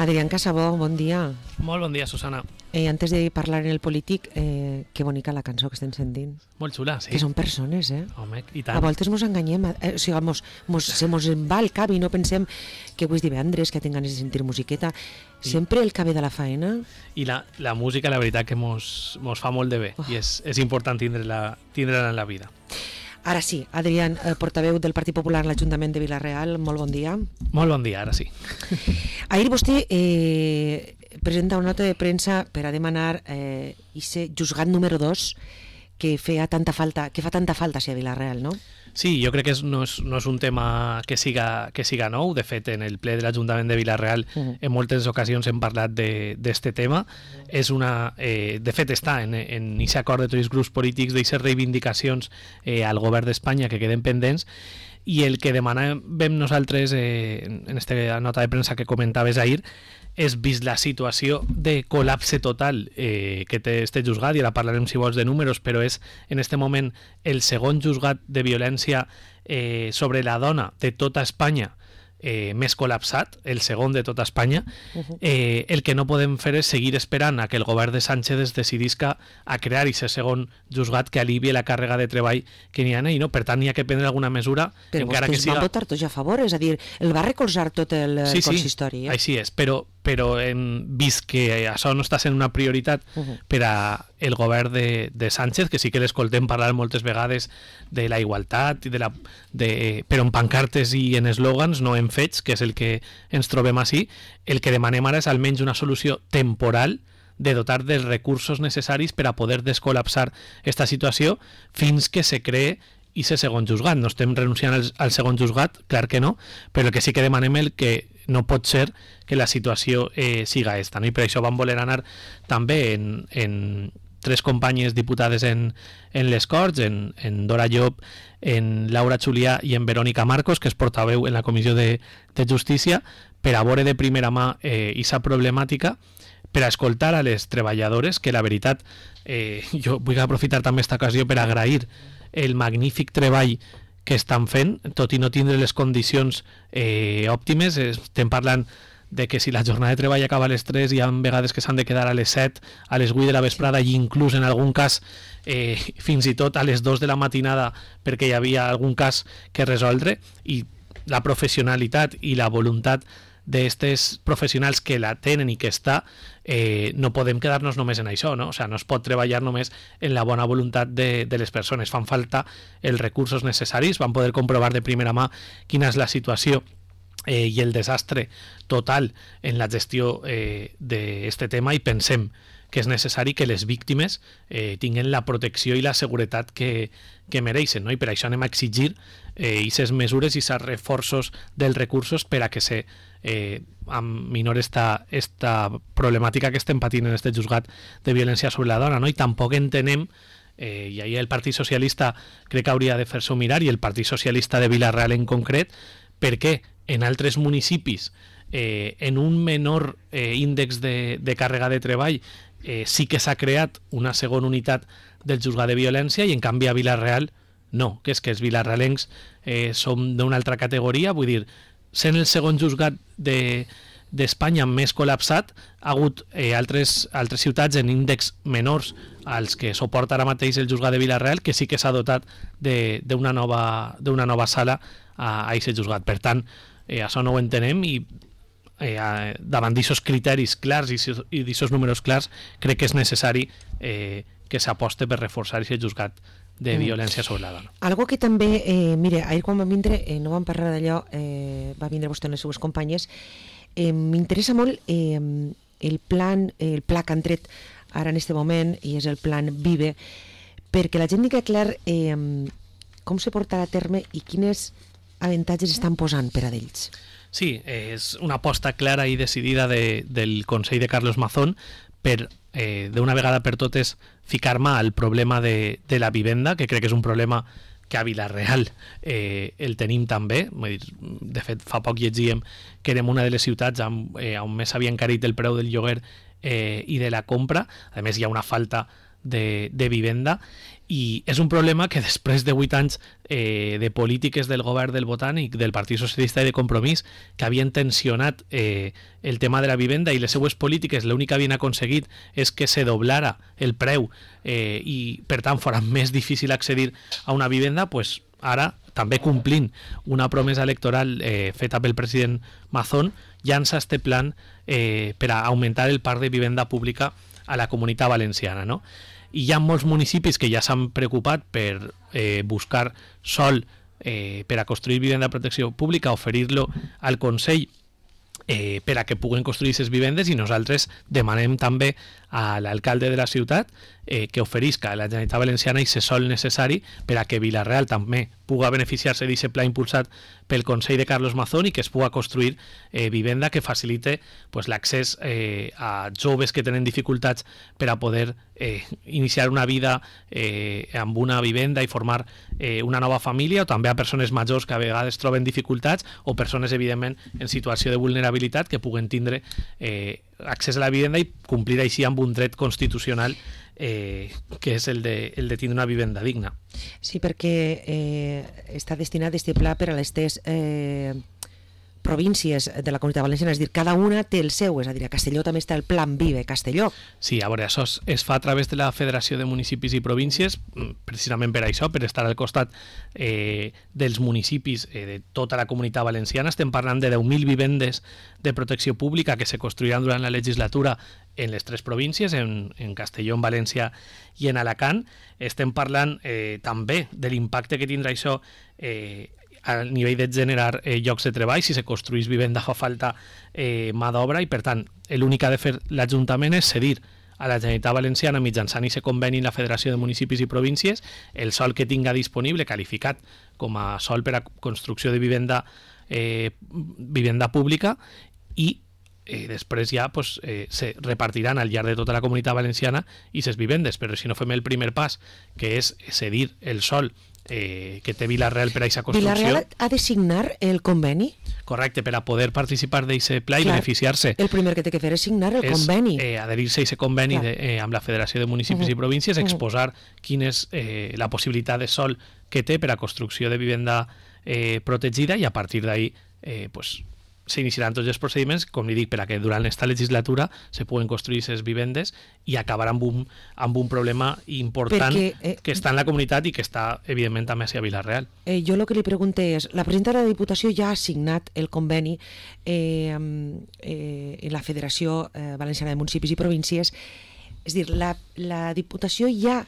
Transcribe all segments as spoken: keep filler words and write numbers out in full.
Adrián Casabó, bon dia. Molt bon dia, Susana. Eh, antes de parlar en el polític, eh, que bonica la cançó que estem sentint. Molt xula, sí. Que són persones, eh? Home, i tant. A voltes mos enganyem, eh, o sigui, mos, mos, se mos en va el cap i no pensem que avui és divendres, que tinc ganes de sentir musiqueta. Sempre el cabé de la faena. I la, la música, la veritat, que mos, mos fa molt de bé, oh. i és, és important tindre-la tindre en la vida. Ara sí, Adrián, eh, portaveu del Partit Popular a l'Ajuntament de Vila-real, molt bon dia. Molt bon dia, ara sí. Ahir vostè eh, presenta una nota de premsa per a demanar eh, ese juzgat número dos que feia tanta falta, que fa tanta falta a Vila-real, no? Sí, jo crec que és, no, és, no és un tema que siga, que siga nou. De fet, en el ple de l'Ajuntament de Vila-real uh-huh. en moltes ocasions hem parlat d'aquest tema. És una, eh, de fet, està en aquest acord de tots els grups polítics d'aquestes reivindicacions eh, al govern d'Espanya que queden pendents, i el que demanàvem nosaltres eh, en aquesta nota de premsa que comentaves ahir és, vist la situació de col·lapse total eh, que té este juzgat, i ara parlarem si vols de números, però és en este moment el segon juzgat de violència eh, sobre la dona de tota Espanya eh, més col·lapsat, el segon de tota Espanya. Uh-huh. eh, el que no podem fer és seguir esperant a que el govern de Sánchez es decidisca a crear aquest segon juzgat que alivi la càrrega de treball que n'hi ha, i no? Per tant, n'hi ha que prendre alguna mesura. Però encara vostès que siga... van votar tots a favor, és a dir, el va recolzar tot el sí, consistori. Sí, eh? així és, però però hem vist que això no està sent una prioritat uh-huh. per a el govern de, de Sánchez, que sí que l'escoltem parlar moltes vegades de la igualtat, i de la, de, però en pancartes i en eslògans, no en fets, que és el que ens trobem així. El que demanem ara és almenys una solució temporal de dotar dels recursos necessaris per a poder descol·lapsar aquesta situació fins que se cree i ser segon juzgat. No estem renunciant al, al segon juzgat, clar que no, però el que sí que demanem el que no pot ser que la situació eh, siga esta, no? I per això vam voler anar també en, en tres companyes diputades en, en les Corts, en, en Dora Llop, en Laura Julià i en Verònica Marcos, que es portaveu en la Comissió de, de Justícia, per a veure de primera mà eh, aquesta problemàtica, per a escoltar a les treballadores, que la veritat, eh, jo vull aprofitar també aquesta ocasió per agrair el magnífic treball que estan fent, tot i no tindre les condicions eh, òptimes. Estem parlant de que si la jornada de treball acaba a les tres, hi ha vegades que s'han de quedar a les set, a les vuit de la vesprada, i inclús en algun cas eh, fins i tot a les dos de la matinada, perquè hi havia algun cas que resoldre, i la professionalitat i la voluntat d'estes professionals que la tenen i que està, eh, no podem quedar-nos només en això, no? O sigui, no es pot treballar només en la bona voluntat de, de les persones. Fan falta els recursos necessaris. Vam poder comprovar de primera mà quina és la situació eh, i el desastre total en la gestió eh, d'aquest tema, i pensem que és necessari que les víctimes eh, tinguin la protecció i la seguretat que, que mereixen, no? I per això anem a exigir aquestes eh, mesures i aquests reforços dels recursos per a que se eh, minore esta, esta problemàtica que estem patint en aquest juzgat de violència sobre la dona, no? I tampoc entenem, eh, i ahir el Partit Socialista crec que hauria de fer-s'ho mirar, i el Partit Socialista de Vila-real en concret, perquè en altres municipis eh, en un menor eh, índex de, de càrrega de treball eh, sí que s'ha creat una segona unitat del juzgat de violència, i en canvi a Vila-real no, que és que els vilarrealencs eh, som d'una altra categoria. Vull dir, sent el segon juzgat de, d'Espanya més col·lapsat, ha hagut eh, altres, altres ciutats en índexs menors als que suporta ara mateix el juzgat de Vila-real, que sí que s'ha dotat d'una nova, d'una nova sala a aquest juzgat. Per tant, eh, això no ho entenem, i eh, davant d'aquests criteris clars i d'aquests números clars, crec que és necessari eh, que s'aposte per reforçar aquest juzgat de violència sobre la dona. Algo que també, eh, mire, ahir quan vam vindre, eh, no vam parlar d'allò, eh, va vindre vostè amb les seues companyes, eh, m'interessa molt eh, el plan, el pla que han tret ara en aquest moment, i és el plan Vive, perquè la gent diga clar eh, com se portarà a terme i quines avantatges estan posant per a d'ells. Sí, és una aposta clara i decidida de, del Consell de Carlos Mazón per, eh, d'una vegada per totes, ficar mà al problema de, de la vivenda, que crec que és un problema que a Vila-real eh, el tenim també. De fet, fa poc llegíem que érem una de les ciutats on, eh, on més s'havia encarit el preu del lloguer eh, i de la compra. A més, hi ha una falta de, de vivenda, i és un problema que després de vuit anys eh, de polítiques del govern del Botànic, del Partit Socialista i de Compromís, que havien tensionat eh, el tema de la vivenda, i les seues polítiques l'únic que havien aconseguit és que se doblara el preu eh, i per tant fora més difícil accedir a una vivenda, pues ara, també complint una promesa electoral eh, feta pel president Mazón, llança este plan eh, per a augmentar el parc de vivenda pública a la Comunitat Valenciana, no? I hi ha molts municipis que ja s'han preocupat per eh, buscar sòl eh, per a construir vivenda de protecció pública, oferir-lo al Consell eh, per a que puguen construir aquestes vivendes, i nosaltres demanem també a l'alcalde de la ciutat eh, que oferisca a la Generalitat Valenciana aquest sòl necessari per a que Vila-real també puga beneficiar-se d'aquest pla impulsat pel Consell de Carlos Mazón i que es puga construir eh, vivenda que facilite pues, l'accés eh, a joves que tenen dificultats per a poder eh, iniciar una vida eh, amb una vivenda i formar eh, una nova família, o també a persones majors que a vegades troben dificultats, o persones, evidentment, en situació de vulnerabilitat que puguen tindre eh, accés a la vivenda i complir així amb un dret constitucional eh, que és el de, el de tindre una vivenda digna. Sí, perquè eh, està destinat este pla per a les tres eh, províncies de la Comunitat Valenciana, és a dir, cada una té el seu, és a dir, a Castelló també està el Plan Vive Castelló. Sí, a veure, això es, es fa a través de la Federació de Municipis i Províncies, precisament per això, per estar al costat eh, dels municipis eh, de tota la Comunitat Valenciana. Estem parlant de deu mil vivendes de protecció pública que se construiran durant la legislatura en les tres províncies, en, en Castelló, en València i en Alacant. Estem parlant eh, també de l'impacte que tindrà això eh, a nivell de generar eh, llocs de treball. Si se construís vivenda fa falta eh, mà d'obra, i per tant l'únic que ha de fer l'Ajuntament és cedir a la Generalitat Valenciana mitjançant aquest conveni en la Federació de Municipis i Províncies el sòl que tinga disponible qualificat com a sòl per a construcció de vivenda eh, vivenda pública, i Eh, després ja pues, eh, se repartiran al llarg de tota la Comunitat Valenciana i ses vivendes, però si no fem el primer pas, que és cedir el sòl eh, que té Vila-real per a aquesta construcció... Vila-real ha de signar el conveni? Correcte, per a poder participar d'aquest pla i beneficiar-se. El primer que té que fer és signar el és, conveni. Eh, adherir-se a aquest conveni de, eh, amb la Federació de Municipis uh -huh. i Províncies, exposar uh -huh. quina és eh, la possibilitat de sòl que té per a construcció de vivenda eh, protegida, i a partir d'ahí eh, pues, s'iniciaran tots els procediments, com li dic, per a que durant aquesta legislatura se puguen construir aquestes vivendes i acabar amb un, amb un problema important Perquè, eh, que està en la comunitat i que està, evidentment, també a Vila-real. Eh, jo el que li pregunté és, la presidenta de la Diputació ja ha signat el conveni eh, eh, en la Federació eh, Valenciana de Municipis i Províncies, és a dir, la, la Diputació ja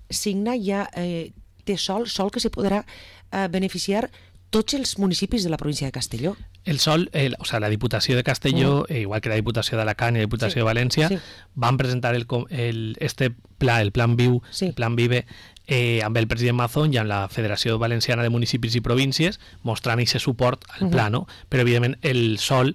signa, ja eh, té sòl, sòl que se podrà eh, beneficiar tots els municipis de la província de Castelló. El sòl, el, o sea, la Diputació de Castelló, mm. eh, igual que la Diputació d'Alacant i la Diputació sí. de València, sí. van presentar el, el, este pla, el Plan Viu, sí. el Plan Vive, eh, amb el president Mazón i amb la Federació Valenciana de Municipis i Províncies, mostrant aquest suport al mm-hmm. pla, no? Però, evidentment, el sòl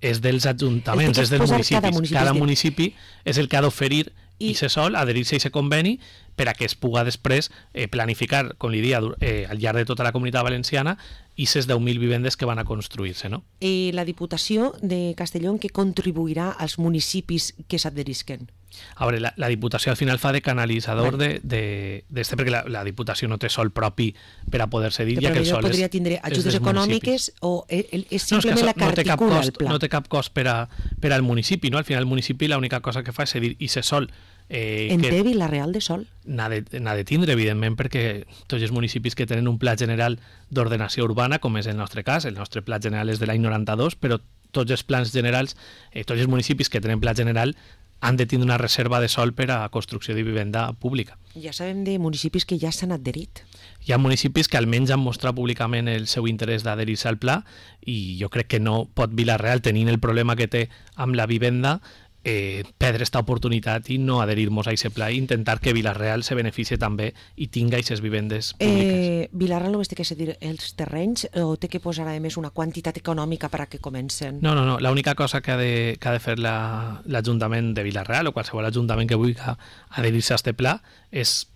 és dels ajuntaments, és dels municipis. Cada municipi, cada municipi és el que ha d'oferir i aquest sòl, adherir-se a aquest conveni per a que es puga després eh, planificar, com li dia, eh, al llarg de tota la Comunitat Valenciana i aquestes deu mil vivendes que van a construir-se. No? I la Diputació de Castelló en què contribuirà als municipis que s'adherisquen? A veure, la, la Diputació al final fa de canalitzador bueno. de, de, de este, perquè la, la Diputació no té sol propi per a poder cedir, ja que el sol podria és, tindre ajudes econòmiques o és no, simplement és la que articula no cost, el pla? No té cap cost per, a, per al municipi, no? Al final el municipi l'única cosa que fa és cedir i ser sol. Eh, en té Vila-real de sol? N'ha de, de tindre, evidentment, perquè tots els municipis que tenen un pla general d'ordenació urbana, com és el nostre cas, el nostre pla general és de l'any noranta-dos, però tots els plans generals, eh, tots els municipis que tenen pla general han de tindre una reserva de sòl per a construcció de vivenda pública. Ja sabem de municipis que ja s'han adherit. Hi ha municipis que almenys han mostrat públicament el seu interès d'adherir-se al pla, i jo crec que no pot Vila-real, tenint el problema que té amb la vivenda, eh, perdre aquesta oportunitat i no adherir-nos a aquest pla i intentar que Vila-real se beneficie també i tinga aquestes vivendes públiques. Eh, Vila-real només té que cedir els terrenys o té que posar a més una quantitat econòmica per a que comencen? No, no, no. L'única cosa que ha de, que ha de fer l'Ajuntament de Vila-real o qualsevol ajuntament que vulgui adherir-se a aquest pla és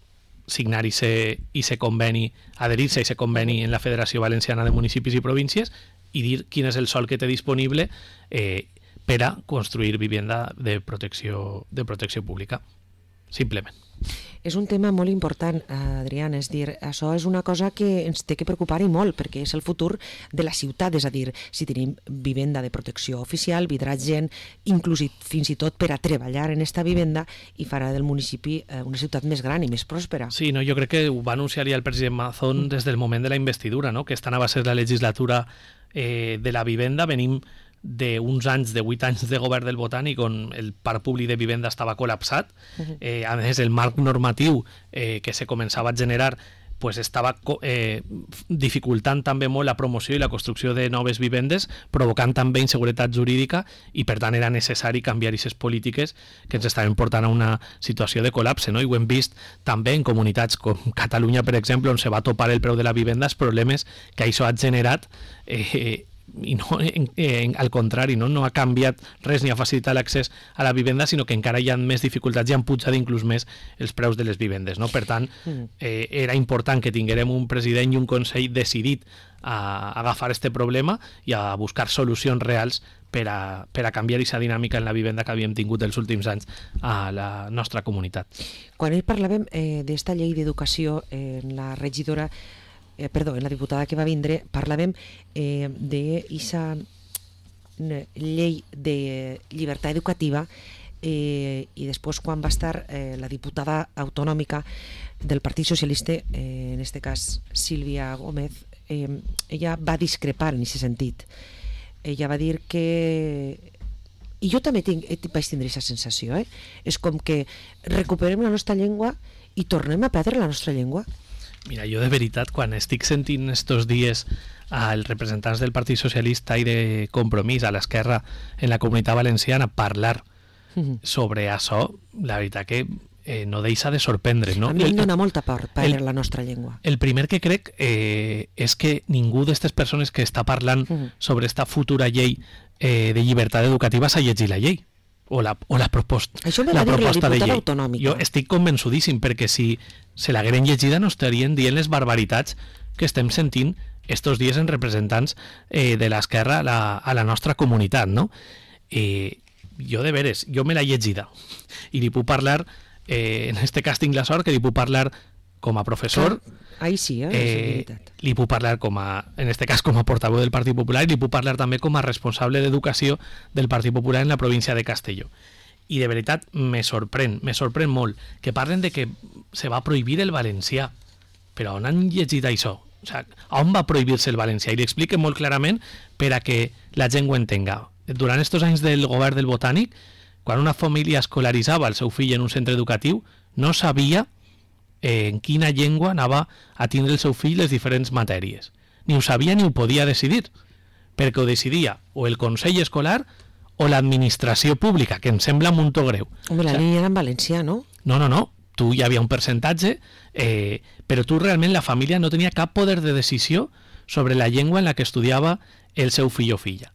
signar aquest conveni, adherir-se a aquest conveni en la Federació Valenciana de Municipis i Províncies i dir quin és el sòl que té disponible eh, per a construir vivenda de protecció, de protecció pública, simplement. És un tema molt important, Adriana, és dir, això és una cosa que ens té que preocupar i molt, perquè és el futur de la ciutat, és a dir, si tenim vivenda de protecció oficial, vindrà gent, inclús fins i tot per a treballar en esta vivenda i farà del municipi una ciutat més gran i més pròspera. Sí, no, jo crec que ho va anunciar ja el president Mazón des del moment de la investidura, no? Que esta anava a ser la legislatura eh, de la vivenda, venim d'uns anys, de vuit anys de govern del Botànic on el parc públic de vivenda estava col·lapsat. Uh-huh. eh, a més, el marc normatiu eh, que se començava a generar pues estava eh, dificultant també molt la promoció i la construcció de noves vivendes, provocant també inseguretat jurídica i per tant era necessari canviar aquestes polítiques que ens estaven portant a una situació de col·lapse, no? I ho hem vist també en comunitats com Catalunya, per exemple, on se va topar el preu de la vivenda, els problemes que això ha generat eh, i no, en, en, al contrari, no? no ha canviat res ni ha facilitat l'accés a la vivenda, sinó que encara hi ha més dificultats i han pujat inclús més els preus de les vivendes, no? Per tant, eh, era important que tinguérem un president i un consell decidit a, a agafar este problema i a buscar solucions reals per a, per a canviar aquesta dinàmica en la vivenda que havíem tingut els últims anys a la nostra comunitat. Quan ell parlàvem eh, d'esta llei d'educació, eh, la regidora Eh, perdó, en la diputada que va vindre parlàvem eh, d'eixa llei de llibertat educativa eh, i després quan va estar eh, la diputada autonòmica del Partit Socialista, eh, en este cas Sílvia Gómez, eh, ella va discrepar en aquest sentit. Ella va dir que, i jo també tinc, vaig tindre aquesta sensació, eh? És com que recuperem la nostra llengua i tornem a perdre la nostra llengua. Mira, jo de veritat, quan estic sentint estos dies als representants del Partit Socialista i de Compromís a l'esquerra en la Comunitat Valenciana parlar mm-hmm. sobre això, la veritat que eh, no deixa de sorprendre, no? A mi em dona molta por perdre la nostra llengua. El primer que crec eh, és que ningú d'aquestes persones que està parlant mm-hmm. sobre esta futura llei eh, de llibertat educativa s'ha llegit la llei. o la, o la, proposta, Això me va la dir proposta la de llei. Autonòmica. Jo estic convençudíssim, perquè si se l'hagueren llegida no estarien dient les barbaritats que estem sentint estos dies en representants eh, de l'esquerra a, la, a la nostra comunitat, no? Eh, jo de veres, jo me l'he llegida i li puc parlar, eh, en este cas tinc la sort que li puc parlar com a professor. Clar, ahí sí, eh, eh, li puc parlar com a, en este cas com a portaveu del Partit Popular, i li puc parlar també com a responsable d'educació del Partit Popular en la província de Castelló. I de veritat me sorprèn, me sorprèn molt que parlen de que se va prohibir el valencià. Però on han llegit això? O sigui, on va prohibir-se el valencià? I li expliquen molt clarament per a que la gent ho entenga. Durant estos anys del govern del Botànic, quan una família escolaritzava el seu fill en un centre educatiu, no sabia en quina llengua anava a tindre el seu fill les diferents matèries. Ni ho sabia ni ho podia decidir, perquè ho decidia o el Consell Escolar o l'administració pública, que em sembla un muntó greu. Home, la o sigui, línia era en valencià, no? No, no, no. Tu hi havia un percentatge, eh, però tu realment la família no tenia cap poder de decisió sobre la llengua en la que estudiava el seu fill o filla.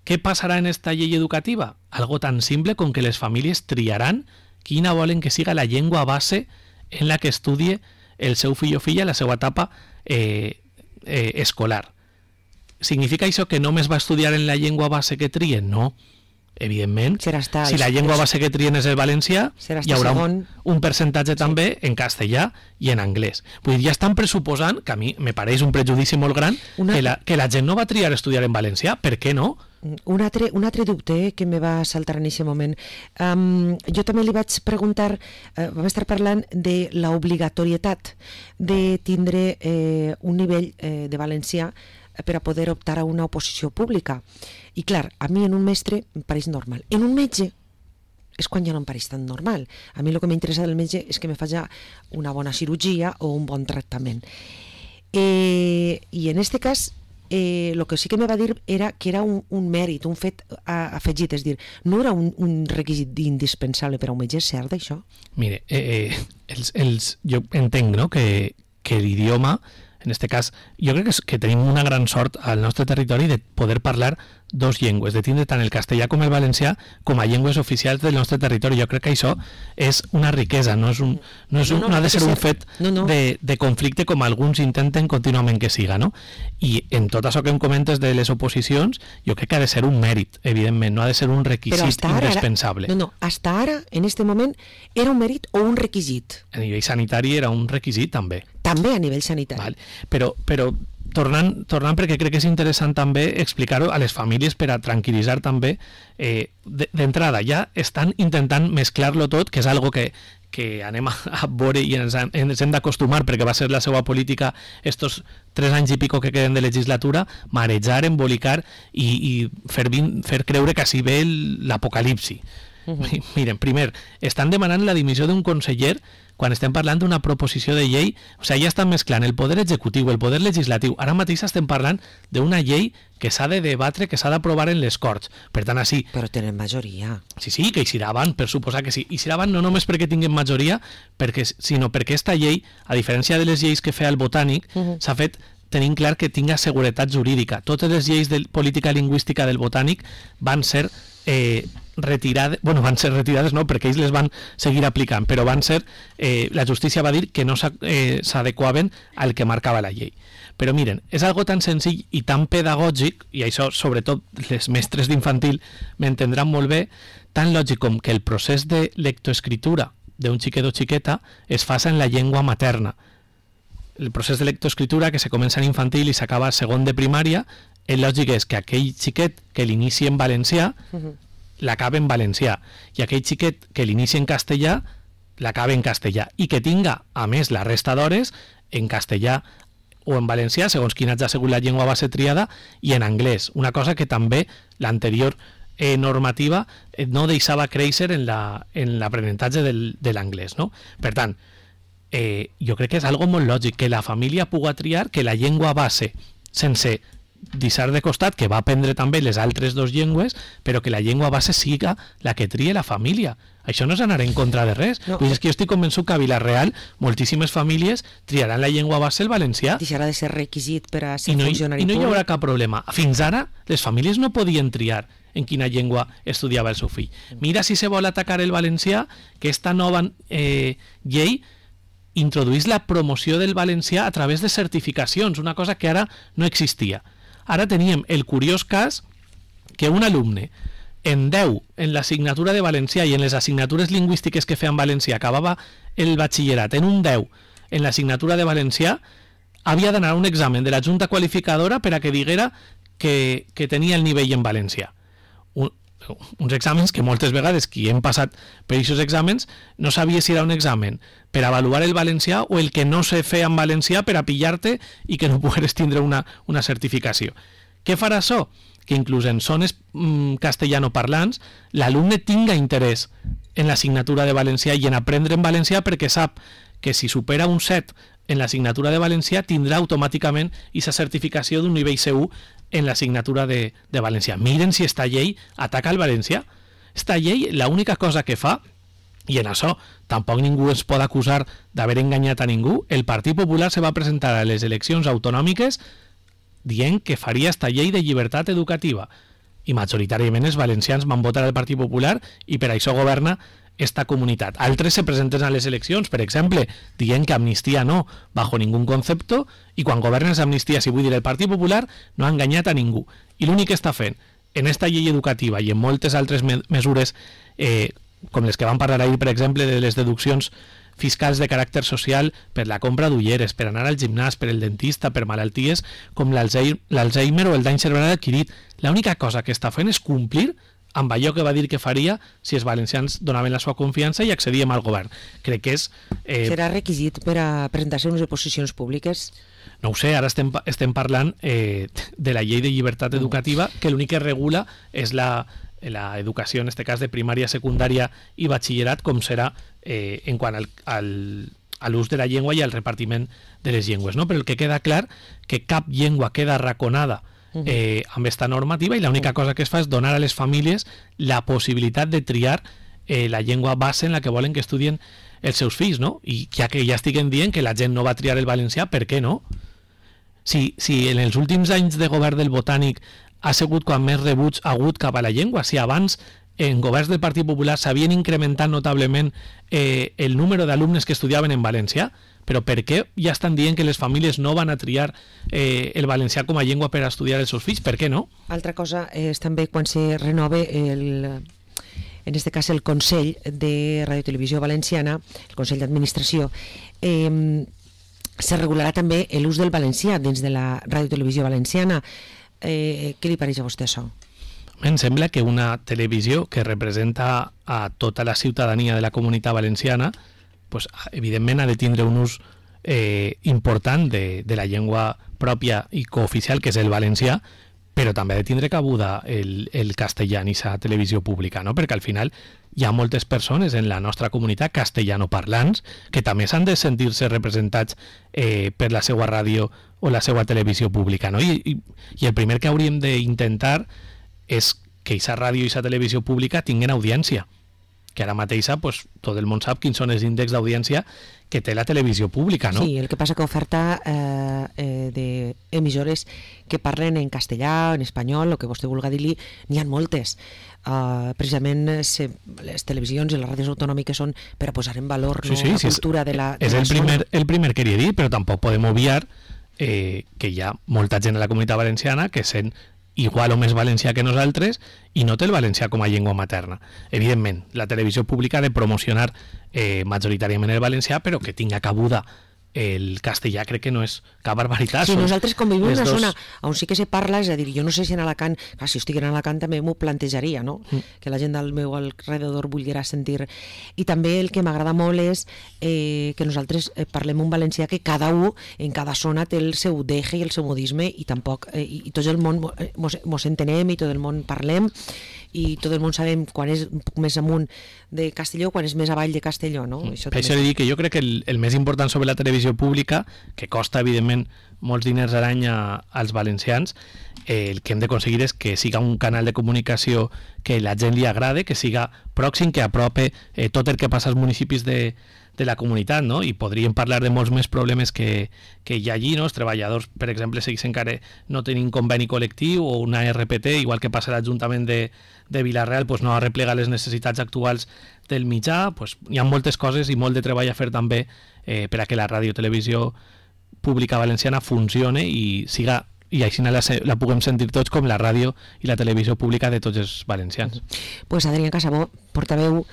Què passarà en esta llei educativa? Algo tan simple com que les famílies triaran quina volen que siga la llengua base en la que estudie el seu fill o filla la seva etapa eh, eh, escolar. Significa això que només va estudiar en la llengua base que trien? No. Evidentment, estar, si la llengua base que trien és el valencià, hi haurà un, un percentatge també en castellà i en anglès. Vull dir, ja estan pressuposant, que a mi me pareix un prejudici molt gran, Una... que, la, que la gent no va triar estudiar en valencià. Per què no? Un altre, un altre dubte que me va saltar en aquest moment. Um, jo també li vaig preguntar, uh, vam estar parlant de l'obligatorietat de tindre eh, un nivell eh, de valencià per a poder optar a una oposició pública. I clar, a mi en un mestre em pareix normal. En un metge és quan ja no em pareix tan normal. A mi el que m'interessa del metge és que me faci una bona cirurgia o un bon tractament. Eh, I en aquest cas, el eh, que sí que me va dir era que era un, un mèrit, un fet a, afegit, és dir, no era un, un requisit indispensable per a un metge, és cert això? Mire, eh, eh, els, els, jo entenc, no?, que, que l'idioma en este cas, jo crec que, és, que tenim una gran sort al nostre territori de poder parlar dos llengües, de tindre tant el castellà com el valencià com a llengües oficials del nostre territori. Jo crec que això és una riquesa, no, és un, no, és un, no, no, no ha de ser un fet no, no. De, de conflicte com alguns intenten contínuament que siga, no? I en tot això que em comentes de les oposicions, jo crec que ha de ser un mèrit, evidentment, no ha de ser un requisit indispensable. Ara, no, no, hasta ara, en este moment, era un mèrit o un requisit? A nivell sanitari era un requisit, també. També a nivell sanitari. Val. Però, però tornant, tornant perquè crec que és interessant també explicar-ho a les famílies per a tranquil·litzar també, eh, d'entrada ja estan intentant mesclar-lo tot, que és algo que, que anem a, a veure i ens, ens hem d'acostumar perquè va ser la seva política estos tres anys i pico que queden de legislatura, marejar, embolicar i, i fer, fer creure que així ve l'apocalipsi. Uh-huh. Miren, primer, estan demanant la dimissió d'un conseller quan estem parlant d'una proposició de llei, o sigui, ja estan mesclant el poder executiu, el poder legislatiu. Ara mateix estem parlant d'una llei que s'ha de debatre, que s'ha d'aprovar en les Corts. Per tant, així... Però tenen majoria. Sí, sí, que hi serà avant, per suposar que sí. I serà avant no només perquè tinguin majoria, perquè, sinó perquè aquesta llei, a diferència de les lleis que feia el Botànic, uh-huh. s'ha fet tenint clar que tinga seguretat jurídica. Totes les lleis de política lingüística del Botànic van ser... Eh, retirades, bueno, van ser retirades no, perquè ells les van seguir aplicant, però van ser, eh, la justícia va dir que no s'adequaven eh, al que marcava la llei. Però miren, és algo tan senzill i tan pedagògic, i això sobretot les mestres d'infantil m'entendran molt bé, tan lògic com que el procés de lectoescritura d'un xiquet o xiqueta es faça en la llengua materna. El procés de lectoescritura que se comença en infantil i s'acaba a segon de primària, el lògic és que aquell xiquet que l'inici en valencià uh-huh. l'acaba en valencià, i aquell xiquet que l'inici en castellà l'acaba en castellà, i que tinga, a més, la resta d'hores en castellà o en valencià, segons quina hagi sigut la llengua base triada, i en anglès, una cosa que també l'anterior eh, normativa eh, no deixava créixer en l'aprenentatge la, de l'anglès, no? Per tant, eh, jo crec que és algo molt lògic, que la família pugui triar que la llengua base, sense deixar de costat que va aprendre també les altres dues llengües, però que la llengua base siga la que trie la família. Això no és anar en contra de res. No. Pues és que jo estic convençut que a Vila-real moltíssimes famílies triaran la llengua base el valencià. Deixarà de ser requisit per a ser I no, funcionari I no hi haurà públic. cap problema. Fins ara les famílies no podien triar en quina llengua estudiava el seu fill. Mira si se vol atacar el valencià, que esta nova eh, llei introduís la promoció del valencià a través de certificacions, una cosa que ara no existia. Ara teníem el curiós cas que un alumne en deu en l'assignatura de valencià i en les assignatures lingüístiques que feien valencià acabava el batxillerat en un deu en l'assignatura de valencià, havia d'anar a un examen de la Junta Qualificadora per a que diguera que, que tenia el nivell en valencià. Un, uns exàmens que moltes vegades qui hem passat per aquests exàmens no sabia si era un examen per avaluar el valencià o el que no se feia en valencià per a pillar-te i que no pogueres tindre una, una certificació. Què farà això? Que inclús en zones mm, castellanoparlants l'alumne tinga interès en l'assignatura de valencià i en aprendre en valencià perquè sap que si supera un set en l'assignatura de valencià tindrà automàticament aquesta certificació d'un nivell C u en l'assignatura de, de valencià. Miren si esta llei ataca el valencià. Esta llei, l'única cosa que fa, i en això tampoc ningú es pot acusar d'haver enganyat a ningú, el Partit Popular se va presentar a les eleccions autonòmiques dient que faria esta llei de llibertat educativa. I majoritàriament els valencians van votar al Partit Popular i per això governa esta comunitat. Altres se presenten a les eleccions, per exemple, dient que amnistia no, bajo ningún concepto, i quan governen amnistia, si vull dir, el Partit Popular no ha enganyat a ningú. I l'únic que està fent en esta llei educativa i en moltes altres me mesures, eh, com les que van parlar ahir, per exemple, de les deduccions fiscals de caràcter social per la compra d'ulleres, per anar al gimnàs, per el dentista, per malalties com l'Alzheimer o el dany cerebral adquirit. L'única cosa que està fent és complir amb allò que va dir que faria si els valencians donaven la seva confiança i accedíem al govern. Crec que és... Eh... Serà requisit per a presentar-se unes oposicions públiques? No ho sé, ara estem, estem parlant eh, de la llei de llibertat educativa, que l'únic que regula és la, la educació, en aquest cas de primària, secundària i batxillerat, com serà eh, en quant al, al, a l'ús de la llengua i al repartiment de les llengües. No? Però el que queda clar que cap llengua queda arraconada Eh, amb esta normativa i l'única cosa que es fa és donar a les famílies la possibilitat de triar eh, la llengua base en la que volen que estudien els seus fills, no? I ja que ja estiguen dient que la gent no va triar el valencià, per què no? si, si en els últims anys de govern del Botànic ha sigut quan més rebuig ha hagut cap a la llengua, si abans en governs del Partit Popular s'havien incrementat notablement eh, el número d'alumnes que estudiaven en valencià, però per què ja estan dient que les famílies no van a triar eh, el valencià com a llengua per a estudiar els seus fills? Per què no? Altra cosa és també quan se renove el, en este cas el Consell de Radio Televisió Valenciana, el Consell d'Administració, eh, se regularà també l'ús del valencià dins de la Radio Televisió Valenciana. Eh, què li pareix a vostè això? Em sembla que una televisió que representa a tota la ciutadania de la comunitat valenciana, pues, evidentment ha de tindre un ús eh, important de, de la llengua pròpia i cooficial, que és el valencià, però també ha de tindre cabuda el, el castellà en aquesta televisió pública, no? Perquè al final hi ha moltes persones en la nostra comunitat castellanoparlants que també s'han de sentir-se representats eh, per la seva ràdio o la seva televisió pública, no? I, i, i el primer que hauríem d'intentar és que aquesta ràdio i aquesta televisió pública tinguin audiència, que ara mateixa pues, tot el món sap quins són els índexs d'audiència que té la televisió pública, no? Sí, el que passa que oferta eh, eh, d'emissores que parlen en castellà, en espanyol, el que vostè vulgui dir-li, n'hi ha moltes. Uh, precisament se, les televisions i les ràdios autonòmiques són per a posar en valor sí, no, sí, la sí, cultura de la, de és la el primer, el primer que queria dir, però tampoc podem obviar eh, que hi ha molta gent a la comunitat valenciana que sent igual o més valencià que nosaltres i no té el valencià com a llengua materna. Evidentment, la televisió pública ha de promocionar eh, majoritàriament el valencià, però que tinga cabuda el castellà crec que no és cap barbaritat. Sí, nosaltres com vivim en una dos... zona on sí que se parla, és a dir, jo no sé si en Alacant, clar, si estic en Alacant també m'ho plantejaria, no? Mm. Que la gent del meu alrededor volguera sentir. I també el que m'agrada molt és eh, que nosaltres parlem un valencià que cada un en cada zona té el seu deje i el seu modisme i tampoc, eh, i, i tot el món mos, mos entenem i tot el món parlem i tot el món sabem quan és un poc més amunt de Castelló, quan és més avall de Castelló, no? Mm. Això per això he de dir que jo crec que el, el més important sobre la televisió pública, que costa evidentment molts diners a l'any als valencians, eh, el que hem d'aconseguir és que siga un canal de comunicació que la gent li agrade, que siga pròxim, que aprope eh, tot el que passa als municipis de, de la comunitat, no? I podríem parlar de molts més problemes que, que hi ha allí, no? Els treballadors, per exemple, segueixen encara no tenint conveni col·lectiu o una R P T, igual que passa a l'Ajuntament de, de Vila-real, pues no arreplega les necessitats actuals del mitjà, pues hi ha moltes coses i molt de treball a fer també eh, per a que la ràdio televisió pública valenciana funcione i siga i així la, la puguem sentir tots com la ràdio i la televisió pública de tots els valencians. Pues Adrià Casabó, portaveu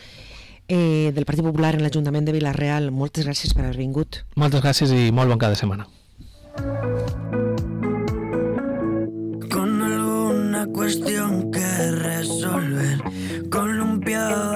eh, del Partit Popular en l'Ajuntament de Vila-real, moltes gràcies per haver vingut. Moltes gràcies i molt bon cap de setmana. Con alguna cuestión que resolver, columpiada